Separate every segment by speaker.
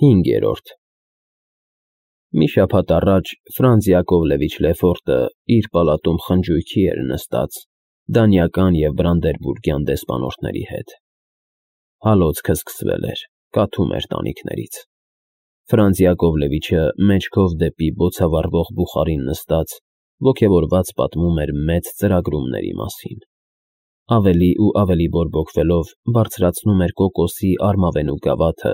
Speaker 1: 5. Մի շաբաթ առաջ Ֆրանց Յակովլևիչ Լեֆորտը իր պալատում խնջույքի էր նստած դանիական և բրանդերբուրգյան դեսպանորդների հետ։ Հալոցքը սկսվել էր, կաթում էր տանիքներից։ Ֆրանց Յակովլևիչը մեջքով դեպի բոցավառվող բուխարին նստած ոգևորված պատմում էր մեծ ծրագրումների մասին։ Ավելի ու ավելի բորբոքվելով բարձրացնում էր կոկոսի արմավենու գավաթը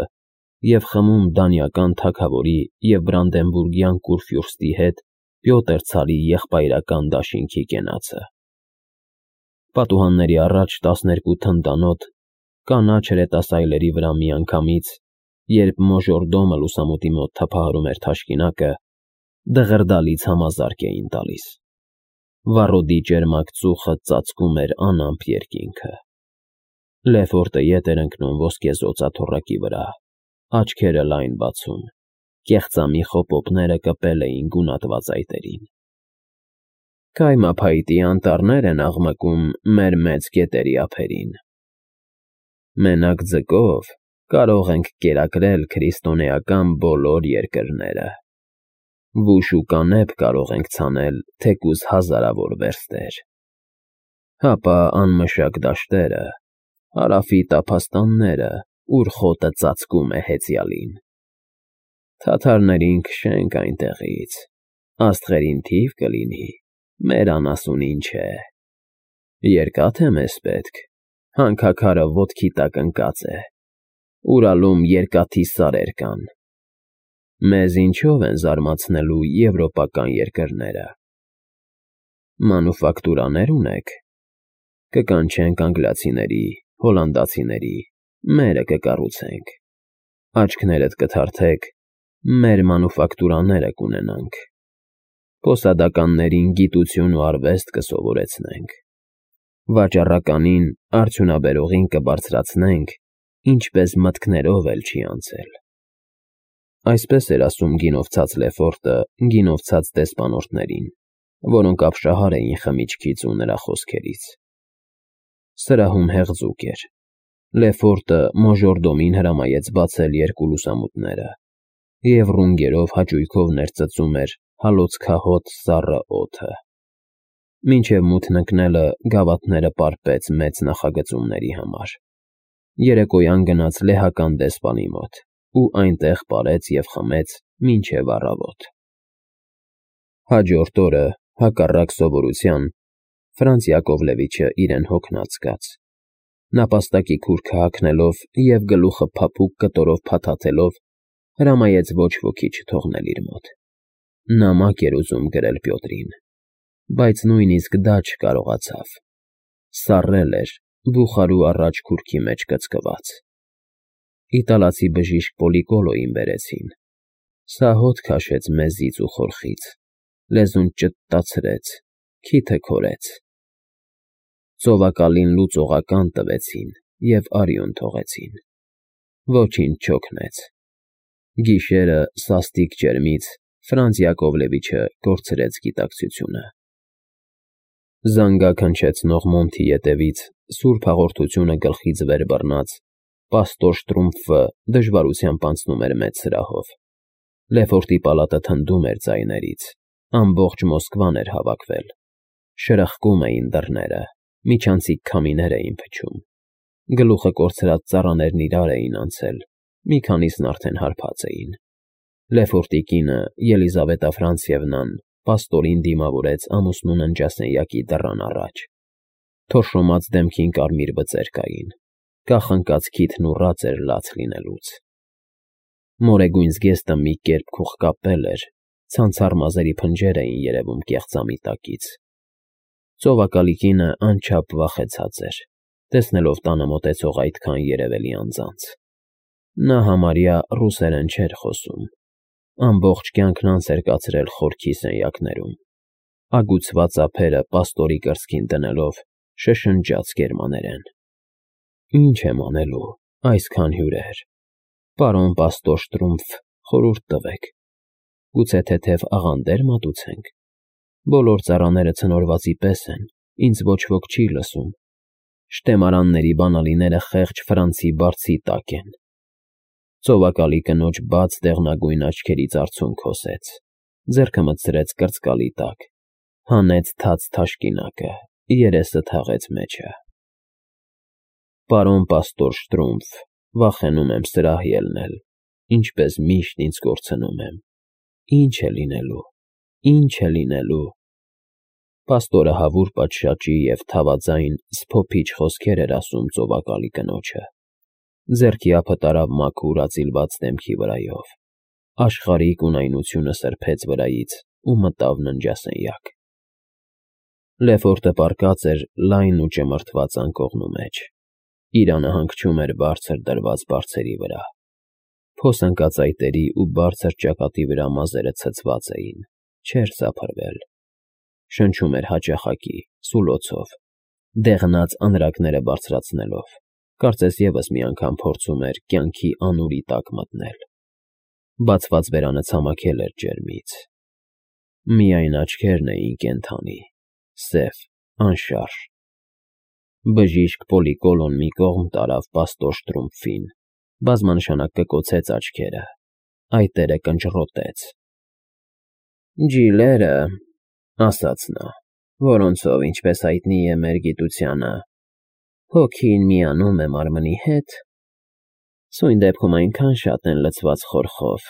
Speaker 1: և խմում դանիական թագավորի և բրանդենբուրգյան կուրֆյուրստի հետ Պյոտր ցարի եղբայրական դաշինքի կենացը։ Պատուհանների առաջ 12 թնդանոթ կանաչ հրետասայլերի վրա միանգամից, երբ մոժորդոմը լուսամուտի մոտ թափահարում էր թաշկինակը, դղրդալից համազարկ էին տալիս։ Վառոդի ճերմակ ծուխը ծածկում էր անամպ երկինքը։ Լեֆորտը ետ էր ընկնում ոսկեզօծ աթոռակի վրա, աչքերը լայն բացում, կեղծամի խոպոպները կպել էին գունատված այտերին։ Կայմափայտի անտառներ են աղմկում մեր մեծ գետերի ափերին։ Մենակ ձկով կարող ենք կերակրել քրիստոնեական բոլոր երկրները։ Վուշ ու կանեփ կարող ենք ցանել թեկուզ հազարավոր վերստեր։ Հապա անմշակ դաշտերը, հարավի տափաստանները, ուր խոտը ծածկում է հեծյալին։ Թաթարներին քշենք այնտեղից, աստղերին թիվ կլինի, մեր անասունին չէ։ Երկա՞თ է մեզ պետք, հանքաքարը ոտքի տակ ընկած է, Ուրալում երկաթի սարեր կան։ Մեզ ինչո՞վ են զարմացնելու եվրոպական երկրները։ Մանուֆակտուրաներ ունեք։ Կկանչենք անգլիացիների, հոլանդացիների, մերը կկառուցենք։ Աչքներդ կթարթեք, մեր մանուֆակտուրաները կունենանք։ Պոսադականներին գիտություն ու արվեստ կսովորեցնենք։ Վաճառականին, արդյունաբերողին կբարձրացնենք, ինչպես մտքներով էլ չի անցել։ Այսպես էր ասում գինովցած Լեֆորտը գինովցած դեսպանորդներին, որոնք ապշահար էին խմիչքից ու նրա խոսքերից։ Սրահում հեղձուկ էր։ Լեֆորտը մոժորդոմին հրամայեց բացել երկու լուսամուտները և ռունգերով հաճույքով ներծծում էր հալոցքահոտ սառը օդը։ Մինչև մութն ընկնելը գավաթները պարպեց մեծ նախագծումների համար։ Երեկոյան գնաց լեհական դեսպանի մոտ ու այնտեղ պարեց և խմեց մինչև առավոտ։ Հաջորդ օրը, հակառակ սովորության, Ֆրանց Յակովլևիչը իրեն հոգնած զգաց։ Նապաստակի քուրքը հագնելով և գլուխը փափուկ կտորով փաթաթելով, հրամայեց ոչ ոքի չթողնել իր մոտ։ Նամակ էր ուզում գրել Պյոտրին, բայց նույնիսկ դա չկարողացավ։ Սառել էր բուխարու առաջ քուրքի մեջ կծկված։ Իտալացի բժիշկ Պոլիկոլոյին բերեցին։ Սա հոտ քաշեց մեզից ու խորխից, լեզուն ճտտացրեց, քիթը քորեց։ Ծովակալին լուծողական տվեցին և արյուն թողեցին։ Ոչինչ չօգնեց։ Գիշերը սաստիկ ջերմից Ֆրանց Յակովլևիչը կորցրեց գիտակցությունը։ Զանգակ հնչեցնող մոնթի ետևից սուրբ հաղորդությունը գլխից վեր բռնած պաստոր Շտրումֆը դժվարությամբ անցնում էր մեծ սրահով։ Լեֆորտի պալատը թնդում էր ձայներից, ամբողջ Մոսկվան էր հավաքվել։ Շրխկում էին դռները, միջանցիկ քամիներ էին փչում։ Գլուխը կորցրած ծառաներն իրար էին անցել, մի քանիսն արդեն հարբած էին։ Լեֆորտի կինը Ելիզավետա Ֆրանցևնան պաստորին դիմավորեց ամուսնու ննջասենյակի դռան առաջ։ Թորշոմած դեմքին կարմիր բծեր կային, կախնկած քիթն ուռած էր լաց լինելուց։ Մորեգույն զգեստը մի կերպ քուղկապել էր, ցանցառ մազերի փնջեր էին երևում կեղծամի տակից։ Ծովակալի կինը անչափ վախեցած էր, տեսնելով տանը մոտեցող այդքան երևելի անձանց։ Նա համարյա ռուսերեն չէր խոսում։ Ամբողջ կյանքն անց էր կացրել խորքի սենյակներում։ Ագուցված ափերը պաստորի կրծքին դնելով շշնջաց գերմաներեն. Ինչ եմ անելու, այսքան հյուրեր։ Պարոն պաստոր Շտրումֆ, խորհուրդ տվեք։ Գուցե թեթև աղանդեր մատուցենք։ Բոլոր ծառաները ցնորվածի պես են, ինձ ոչ ոք չի լսում։ Շտեմարանների բանալիները խեղճ Ֆրանցի բարձի տակ են։ Ծովակալի կնոջ բաց դեղնագույն աչքերից արցունք հոսեց, ձեռքը մտցրեց կրծկալի տակ, հանեց թաց թաշկինակը, երեսը թաղեց մեջը։ Պարոն պաստոր Շտրումֆ, վախենում եմ սրահ ելնել, ինչպես միշտ ինձ կորցնում եմ։ Ինչ է լինելու, ինչ է լինելու։ Պաստորը հավուր պատշաճի և թավաձայն սփոփիչ խոսքեր էր ասում ծովակալի կնոջը։ Ձեռքի ափը տարավ մաքուր ածիլված դեմքի վրայով, աշխարհիկ ունայնությունը սրբեց վրայից ու մտավ ննջասենյակ։ Լեֆորտը պառկած էր լայն ու ճմրթված անկողնու մեջ, իրանը հանգչում էր բարձր դրված բարձերի վրա, փոսընկած այտերի ու բարձր ճակատի վրա մազերը ցցված էին, չէր սափրվել, շնչում էր հաճախակի, սուլոցով, դեղնած անրակները բարձրացնելով, կարծես ևս մի անգամ փորձում էր կյանքի անուրի տակ մտնել։ Բացված բերանը ցամաքել էր ջերմից։ Միայն աչքերն էին կենդանի, սև, անշարժ։ Բժիշկ Պոլիկոլոն մի կողմ տարավ պաստոր Շտրումֆին, բազմանշանակ կկոցեց աչքերը, այտերը կնճռոտեց։ «Ջիլերը», ասաց նա, որոնցով, ինչպես հայտնի է մեր գիտությանը, հոգին միանում է մարմնի հետ, սույն դեպքում այնքան շատ են լցված խորխով,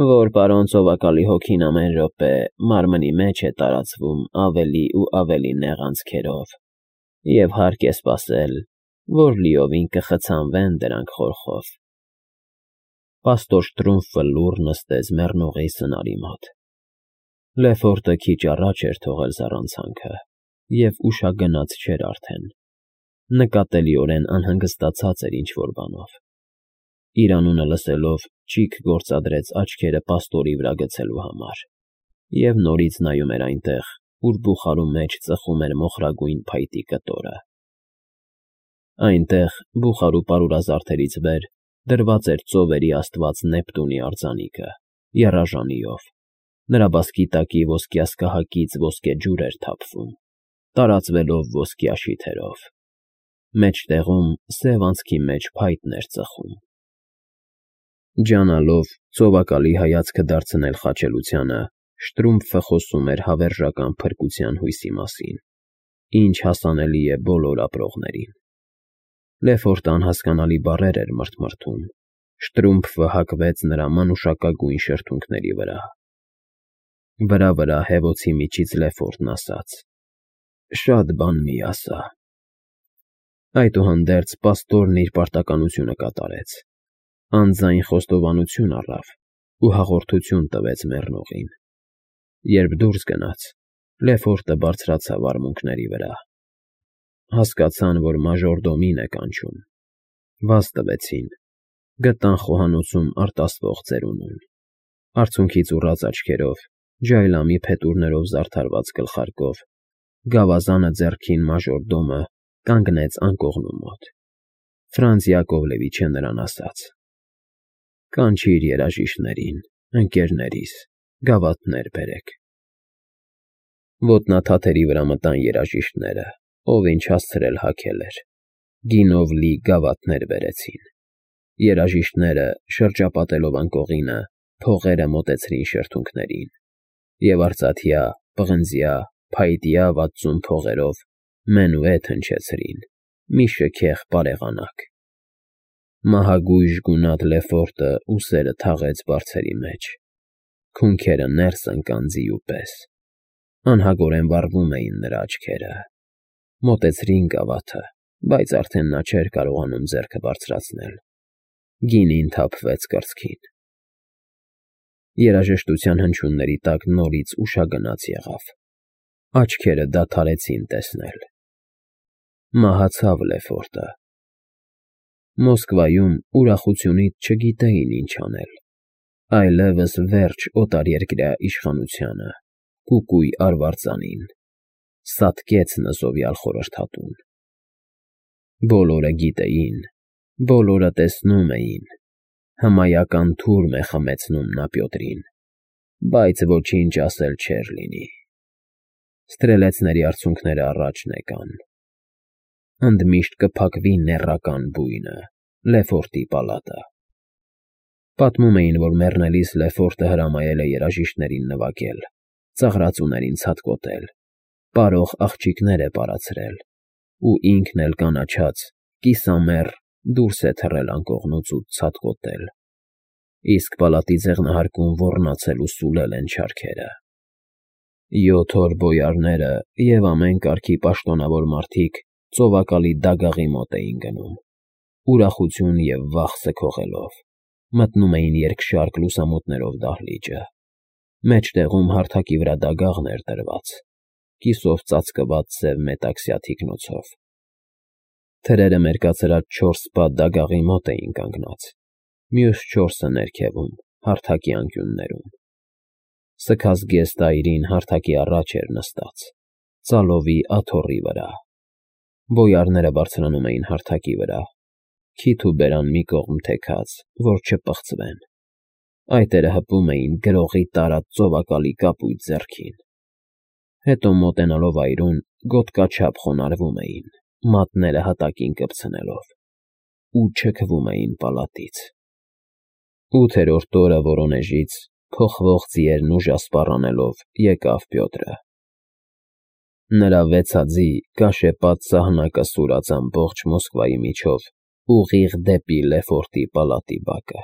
Speaker 1: որ պարոն ծովակալի հոգին ամեն րոպե մարմնի մեջ է տարածվում ավելի ու ավելի նեղ անցքերով, և հարկ է սպասել, որ լիովին կխցանվեն դրանք խորխով։ Պաստոր Շտրումֆը լուռ նստեց մեռնողի սնարի մոտ։ Լեֆորտը քիչ առաջ էր թողել զառանցանքը և ուշագնաց չէր արդեն, նկատելիորեն անհանգստացած էր ինչ֊որ բանով։ Իր անունը լսելով ճիգ գործադրեց աչքերը պաստորի վրա գցելու համար և նորից նայում էր այնտեղ, ուր բուխարու մեջ ծխում էր մոխրագույն փայտի կտորը։ Այնտեղ, բուխարու պարուրազարդերից վեր, դրված էր ծովերի աստված Նեպտունի արձանիկը, եռաժանիով, նրա բասկի տակի ոսկյասկահակից ոսկե ջուր էր թափվում, տարածվելով ոսկյա շիթերով։ Մեջտեղում սև անցքի մեջ փայտն էր ծխում։ Ջանալով ծովակալի հայացքը դարձնել խաչելությանը, Շտրումֆը խոսում էր հավերժական փրկության հույսի մասին, ինչ հասանելի է բոլոր ապրողներին։ Լեֆորտը անհասկանալի բառեր էր մրթմրթում, Շտրումֆը հակվեց նրա մանուշակագույն շրթունքների վրա։ Վրա հևոցի միջից Լեֆորտն ասաց. «Շատ բան մի ասա»։ Այդուհանդերձ պաստորն իր պարտականությունը կատարեց, անձայն խոստովանություն առավ ու հաղորդություն տվեց մեռնողին։ Երբ դուրս գնաց, Լեֆորտը բարձրացավ արմունկների վրա։ Հասկացան, որ մաժորդոմին է կանչում։ Վազ տվեցին, գտան խոհանոցում արտասվող ծերունուն, արցունքից ուռած աչքերով, ջայլամի փետուրներով զարդարված գլխարկով, գավազանը ձեռքին մաժորդոմը կանգնեց անկողնու մոտ։ Ֆրանց Յակովլևիչը նրան ասաց. «Կանչիր երաժիշտներին, ընկերներիս, գավաթներ բերեք»։ Ոտնաթաթերի վրա մտան երաժիշտները, ով ինչ հասցրել հագել էր, գինով լի գավաթներ բերեցին։ Երաժիշտները, շրջապատելով անկողինը, փողերը մոտեցրին շրթունքներին, և արծաթյա, պղնձյա, փայտյա վաթսուն փողերով մենուետ հնչեցրին, մի շքեղ պարեղանակ։ Մահագույժ գունատ Լեֆորտը ուսերը թաղեց բարձերի մեջ, քունքերը ներս ընկան ձիու պես, անհագորեն վառվում էին նրա աչքերը։ Մոտեցրին գավաթը, բայց արդեն նա չէր կարողանում ձեռքը բարձրացնել, գինին թափվեց կրծքին։ Երաժշտության հնչյունների տակ նորից ուշագնաց եղավ, աչքերը դադարեցին տեսնել։ Մահացավ Լեֆորտը։ Մոսկվայում ուրախությունից չգիտեին ինչ անել, այլևս վերջ օտարերկրյա իշխանությանը, կուկույ արվարձանին, սատկեց նզովյալ խորհրդատուն։ Բոլորը գիտեին, բոլորը տեսնում էին, հմայական թուրմ է խմեցնում նա Պյոտրին, բայց ոչինչ ասել չէր լինի։ Ստրելեցների արցունքները առաջն եկան։ Ընդմիշտ կփակվի նեռական բույնը, Լեֆորտի պալատը։ Պատմում էին, որ մեռնելիս Լեֆորտը հրամայել է երաժիշտներին նվագել, ծաղրածուներին ցատկոտել, պարող աղջիկներ է պարացրել, ու ինքն էլ կանաչած, կիսամեռ դուրս է թռել անկողնուց ու ցատկոտել, իսկ պալատի ձեղնահարկում ոռնացել ու սուլել են չարքերը։ 7 օր բոյարները և ամեն կարգի պաշտոնավոր մարդիկ ծովակալի դագաղի մոտ էին գնում, ուրախություն և վախ սգողելով, մտնում էին երկշարք լուսամուտներով դահլիճը, մեջտեղում հարթակի վրա դագաղն էր դրված, կիսով ծածկված սև մետաքսյա թիկնոցով։ Թրերը մերկացրած 4 պատ դագաղի մոտ էին կանգնած, մյուս 4-ը ներքևում, հարթակի անկյուններում։ Սքազգեստ այրին հարթակի առաջ էր նստած, ծալովի աթոռի վրա։ Բոյարները բարձրանում էին հարթակի վրա, քիթ ու բերան մի կողմ թեքած, որ չպղծվեն։ Այտերը հպում էին գրողի տարած ծովակալի կապույտ ձեռքին։ Հետո մոտենալով այրուն, գոտկաչափ խոնարհվում էին, մատները հատակին կպցնելով, ու չքվում էին պալատից։ 8-րդ օրը Վորոնեժից, փոխվող ձիերն ուժասպառ անելով, եկավ Պյոտրը։ Նրա վեցաձի կաշեպատ սահնակը սուրաց ամբողջ Մոսկվայի միջով, ուղիղ դեպի Լեֆորտի պալատի բակը։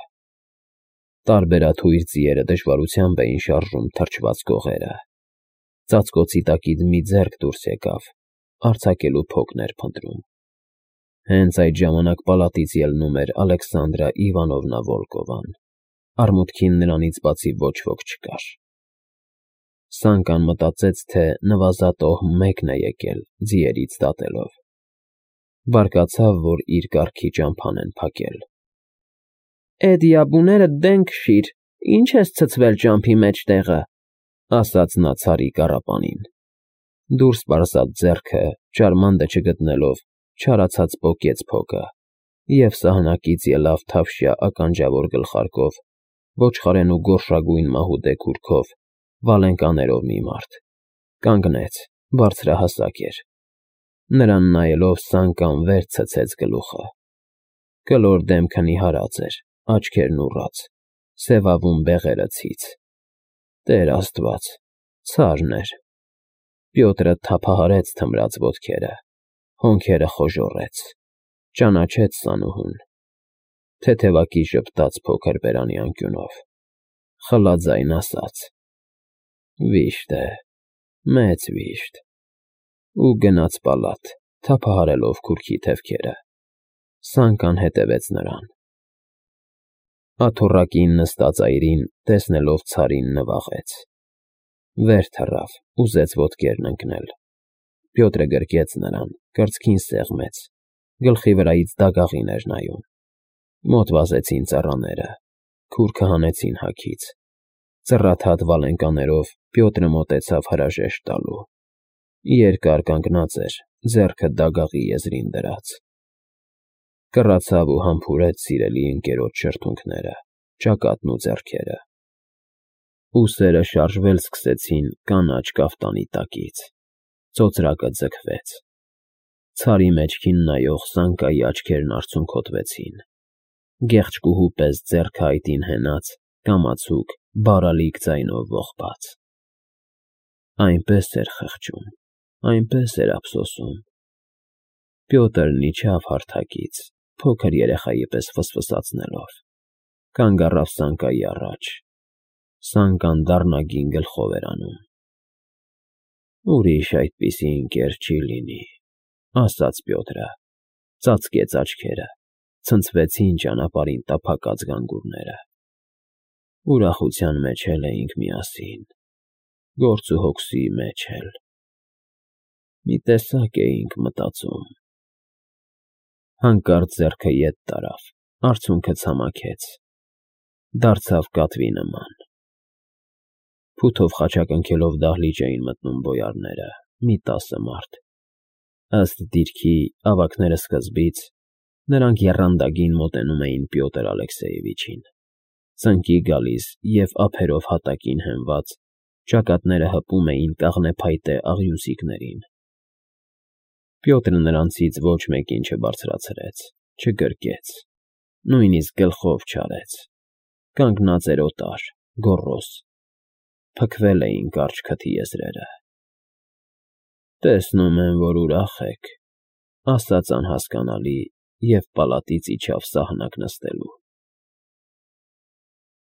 Speaker 1: Տարբերաթույր ձիերը դժվարությամբ էին շարժում թրջված կողերը։ Ծածկոցի տակից մի ձեռք դուրս եկավ, արձակելու փոքն էր փնտրում։ Հենց այդ ժամանակ պալատից ելնում էր Ալեքսանդրա Իվանովնա Վոլկովան, արմուտքին նրանից բացի ոչ ոք չկար։ Սանկան մտածեց, թե նվազատոհ մեկն է եկել ձիերից դատելով։ Բարկացավ, որ իր կառքի ճամփան են փակել։ «Էդ յաբուները դեն քշիր, ինչ ես ցցվել ճամփի մեջտեղը», ասաց նա ցարի կառապանին։ Դուրս պարզած ձեռքը, ճարմանդը չգտնելով, չարացած պոկեց փոկը և սահնակից ելավ թավշյա ականջավոր գլխարկով, ոչխարենու գորշագույն մահուդե քուրքով, վալենկաներով մի մարդ։ Կանգնեց, բարձրահասակ էր։ Նրան նայելով Սանկան վեր ցցեց գլուխը։ Կլոր դեմքը նիհարած էր, աչքերն ուռած, սևավուն բեղերը ցից։ Տեր Աստված, ցարն էր։ Պյոտրը թափահարեց թմրած ոտքերը, հոնքերը խոժոռեց, ճանաչեց Սանուհուն։ Թեթևակի ժպտաց փոքր բերանի անկյունով, խլաձայն ասաց. «Վիշտ է, մեծ վիշտ», ու գնաց պալատ, թափահարելով քուրքի թևքերը։ Սանկան հետևեց նրան։ Աթոռակին նստած այրին, տեսնելով ցարին, նվաղեց։ Վեր թռավ, ուզեց ոտքերն ընկնել։ Պյոտրը գրկեց նրան, կրծքին սեղմեց, գլխի վրայից դագաղին էր նայում։ Մոտ վազեցին ծառաները, քուրքը հանեցին հագից։ Ծռաթատ վալենկաներով Պյոտրը մոտեցավ հրաժեշտ տալու։ Երկար կանգնած էր, ձեռքը դագաղի եզրին դրած։ Կռացավ ու համբուրեց սիրելի ընկերոջ շրթունքները, ճակատն ու ձեռքերը։ Ուսերը շարժվել սկսեցին կանաչ կաֆտանի տակից։ Ծոծրակը ձգվեց։ Ցարի մեջքին նայող Սանկայի աչքերն արցունքոտվեցին։ Գեղեցկուհու պես ձեռքը այտին հենած, կամացուկ, բարալիկ ձայնով ողբաց։ Այնպես էր խղճում, այնպես էր ափսոսում։ Պյոտրն իջավ հարթակից, փոքր երեխայի պես ֆսֆսացնելով, կանգ առավ Սանկայի առաջ։ Սանկան դառնագին գլխով էր անում։ «Ուրիշ այդպիսի ընկեր չի լինի», ասաց Պյոտրը, ծածկեց աչքերը, ցնցվեցին ճանապարհին տափակած գանգուրները։ Ուրախության մեջ էլ էինք միասին, գործ ու հոգսի մեջ էլ։ Մի տեսակ էինք մտածում։ Հանկարծ ձեռքը ետ տարավ, արցունքը ցամաքեց, դարձավ կատվի նման։ Փութով խաչակնքելով դահլիճ էին մտնում բոյարները, մի 10 մարդ։ Ըստ դիրքի, ավագները սկզբից, նրանք եռանդագին մոտենում էին Պյոտր Ալեքսեևիչին, ծնկի գալիս և ափերով հատակին հենված, ճակատները հպում էին կաղնեփայտե աղյուսիկներին։ Պյոտրը նրանցից ոչ մեկին չբարձրացրեց, չգրկեց, նույնիսկ գլխով չարեց։ Կանգնած էր օտար, գոռոզ, փքվել էին կարճ քթի եզրերը։ ֊ Տեսնում եմ, որ ուրախ եք,֊ ասաց անհասկանալի և պալատից իջավ սահնակ նստելու։